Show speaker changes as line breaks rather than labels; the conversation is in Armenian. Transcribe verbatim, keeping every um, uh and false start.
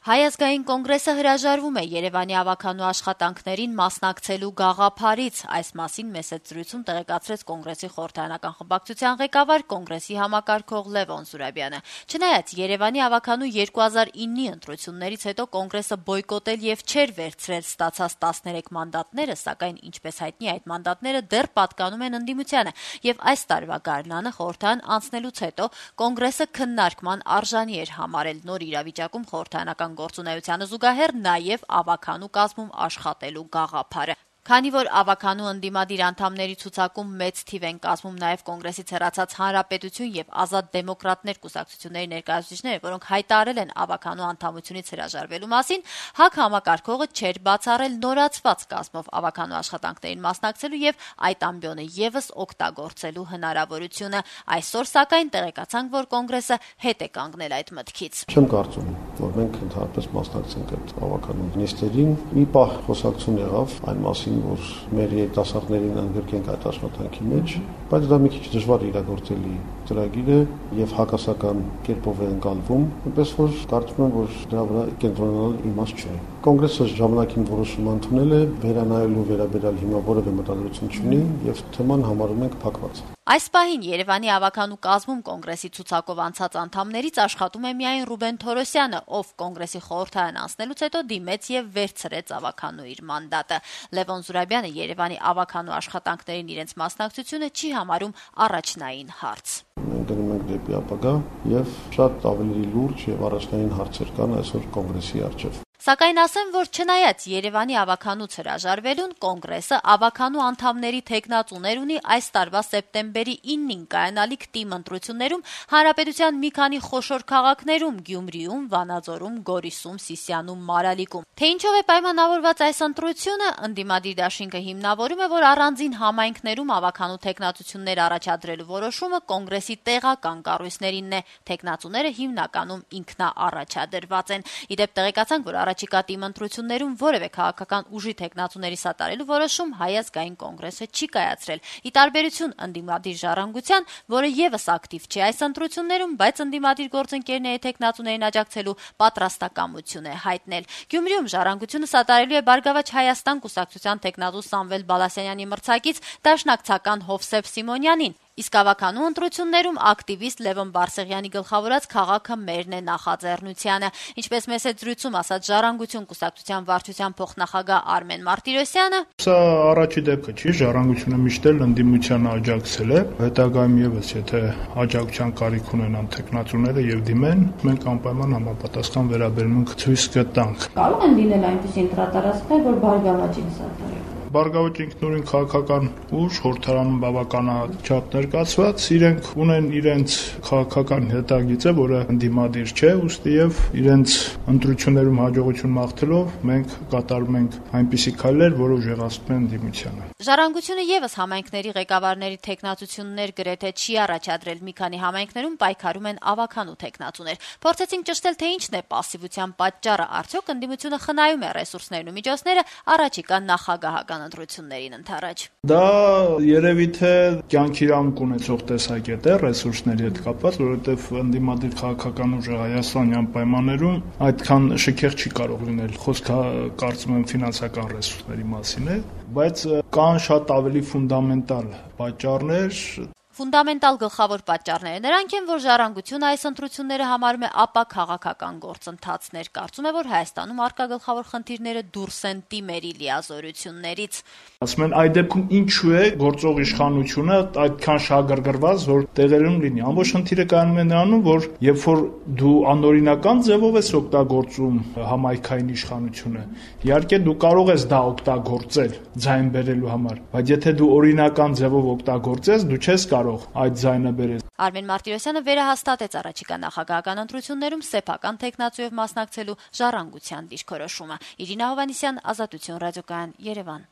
Հայ ազգային կոնգրեսը հրաժարվում է Երևանի ավականու աշխատանքներին մասնակցելու գաղափարից։ Այս մասին մեծ զրույցում տեղեկացրեց կոնգրեսի խորհրդարանական խմբակցության ղեկավար կոնգրեսի համակարգող Լևոն Զուրաբյանը։ Չնայած Երևանի ավականու երկու հազար իննի ընտրություններից հետո կոնգրեսը բոյկոտել եւ չէր վերցրել ստացած տասներեք մանդատները, սակայն ինչպես հայտնի այդ մանդատները դեռ պատկանում են ընդդիմությանը եւ այս տարվա գարնանը խորհրդարան անցնելուց հետո կոնգրեսը քննարկման արժանի էր համարել նոր իրավիճակում խորհրդարանական գործունեությանը զուգահեռ նաև ավականու կազմում աշխատելու գաղափարը։ Քանի որ ավականու ընդդիմադիր անդամների ցուցակում մեծ թիվ են կազմում նաև կոնգրեսից հեռացած Հանրապետություն եւ Ազատ դեմոկրատներ կուսակցությունների ներկայացուցիչները, որոնք հայտարարել են ավականու անդամությունից հրաժարվելու մասին, ՀԱԿ համակարգողը չէր բացառել նորացված կազմով ավականու աշխատանքներին մասնակցելու եւ այդ ամբիոնը եւս օգտագործելու հնարավորությունը։ Այսօր սակայն տեղեկացանք, որ կոնգրեսը հետ է կանգնել այդ մտքից։
Չեմ կարծում, որ մենք ընդհանրապես մասնակցենք այդ ավականու նիստերին։ Մի պահ խոսակցություն եղավ այն մասին, որ մեր երիտասարդներին ընդգրկենք այդ աշխատանքի մեջ, բայց դա մի քիչ դժվար իրագործելի ծրագիր է եւ հակասական կերպով է ընկալվում, այնպես որ կարծում եմ, որ դրա վրա կենտրոնանալ իմաստ չէ։ Կոնգրեսը ժամանակին որոշում ընդունել է, վերանայելու վերաբերյալ հիմա որևէ մտադրություն չունի եւ թեման համարում ենք փակված։
Այս պահին Երևանի ավականու կազմում կոնգրեսի ցուցակով անցած անդամներից աշխատում է միայն Ռուբեն Թորոսյանը, ով կոնգրեսի խորհրդարան անցնելուց հետո դիմեց եւ վերցրեց ավականու իր մանդատը։ Լևոն Զուրաբյանը Երևանի ավականու աշխատանքներին իրենց մասնակցությունը չի համարում առաջնային հարց։
Մենք գնում ենք դեպի ապագա եւ շատ ավելի լուրջ եւ առաջնային հարցեր կան այսօր կոնգրեսի առջեւ։
Սակայն ասեմ, որ չնայած Երևանի ավականուց հրաժարվելուն, կոնգրեսը ավականու անդամների թեկնածուներ ունի այս տարվա սեպտեմբերի իննին կայանալիք թիմ ընտրություններում Հանրապետության մի քանի խոշոր քաղաքներում՝ Գյումրիում, Վանաձորում, Գորիսում, Սիսիանում, Մարալիկում։ Թե ինչով է պայմանավորված այս ընտրությունը, ընդդիմադիր դաշինքը հիմնավորում է, որ առանձին համայնքներում ավականու թեկնածություններ առաջադրելու որոշումը կոնգրեսի տեղական կառույցներինն է։ Թեկնածուները հիմնականում ինքնաառաջադրված են։ Իդեպ տեղեկացանք, որ առաջիկա թիմ ընտրություններում որևէ քաղաքական ուժի թեկնածուների սատարելու որոշում Հայ ազգային կոնգրեսը չի կայացրել։ Ի տարբերություն ընդդիմադիր ժառանգության, որը եւս ակտիվ չէ այս ընտրություններում, բայց ընդդիմադիր գործընկերների թեկնածուներին աջակցելու պատրաստակամություն է հայտնել։ Գյումրիում ժառանգությունը սատարելու է Բարգավաճ Հայաստան կուսակցության թեկնածու Սամվել Բալասանյանի մրցակից դաշնակցական Հովսեփ Սիմոնյանին։ Իսկ ավականու ընտրություններում ակտիվիստ Լևոն Բարսեղյանի գլխավորած քաղաքը մերն է նախաձեռնությանը։ Ինչպես մեծ զրույցում ասաց Ժառանգություն կուսակցության վարչության փոխնախագահ Արմեն Մարտիրոսյանը,
սա առաջի դեպքը չի, Ժառանգությունը միշտ էլ ընդդիմությանը աջակցել է, հետագայում եւս եթե աջակցության կարիք ունենան թեկնածուները եւ դիմեն, մենք անպայման համապատասխան վերաբերմունք ցույց կտանք։
Կարող են լինել այնպիսի ընտրատարածքներ, որ Բարգավաճին սատարեն։
Բարգավաճ ինքնուրույն քաղաքական ուժ, խորհրդարանում բավականաչափ ներկայացված, իրենք ունեն իրենց քաղաքական հետագիծը, որը ընդդիմադիր չէ, ուստի եւ իրենց ընտրություններում հաջողություն մաղթելով մենք կատարում ենք այնպիսի քայլեր, որը ուժեղացնում են ընդդիմությանը։
Ժառանգությունը եւս համայնքների ղեկավարների թեկնածություններ գրեթե չի առաջադրել։ Մի քանի համայնքներում պայքարում են ավականու թեկնածուներ։ Փորձեցինք ճշտել, թե ինչն է պասիվության պատճառը, արդյոք ընդդիմությունը խնայում է ռեսուրսներն ու միջոցները առաջիկա նախագահական ընտրություններին ընթരാճ։
Դա երևի թե կյանքի իրավունք ունեցող տեսակետ է ռեսուրսների հետ կապված, որովհետև ընդդիմադիր քաղաքական ուժը հայաստանյան պայմաններում այդքան շքեղ չի կարող լինել։ Խոսքը կարծում եմ ֆինանսական ռեսուրսների մասին է, բայց կան շատ ավելի ֆունդամենտալ պատճառներ։
Ֆունդամենտալ գլխավոր պատճառները նրանք են, որ Ժառանգությունը այս ընտրությունները համարում է ապա քաղաքական գործընթացներ։ Կարծում է, որ Հայաստանում առկա գլխավոր խնդիրները դուրս են թիմերի լիազորություններից։
Ասում են, այդ դեպքում ինչու է գործող իշխանությունը այդքան շահագրգռված, որ տեղերում լինի։ Ամբողջ խնդիրը կայանում է նրանում, որ երբ որ դու անօրինական ձևով ես օգտագործում համայնքային իշխանությունը, իհարկե դու կարող ես դա օգտագործել ձայն բերելու համար, բայց եթե դու օրինական ձևով օգտագործես, դու չես կարող այդ ձայնը բերել։
Արմեն Մարտիրոսյանը վերահաստատեց առաջիկա նախագահական ընտրություններում սեփական թեկնածուով մասնակցելու Ժառանգության դիրքորոշումը։ Իրինա Հովհաննիսյան, Ազատություն ռադիոկայան, Երևան։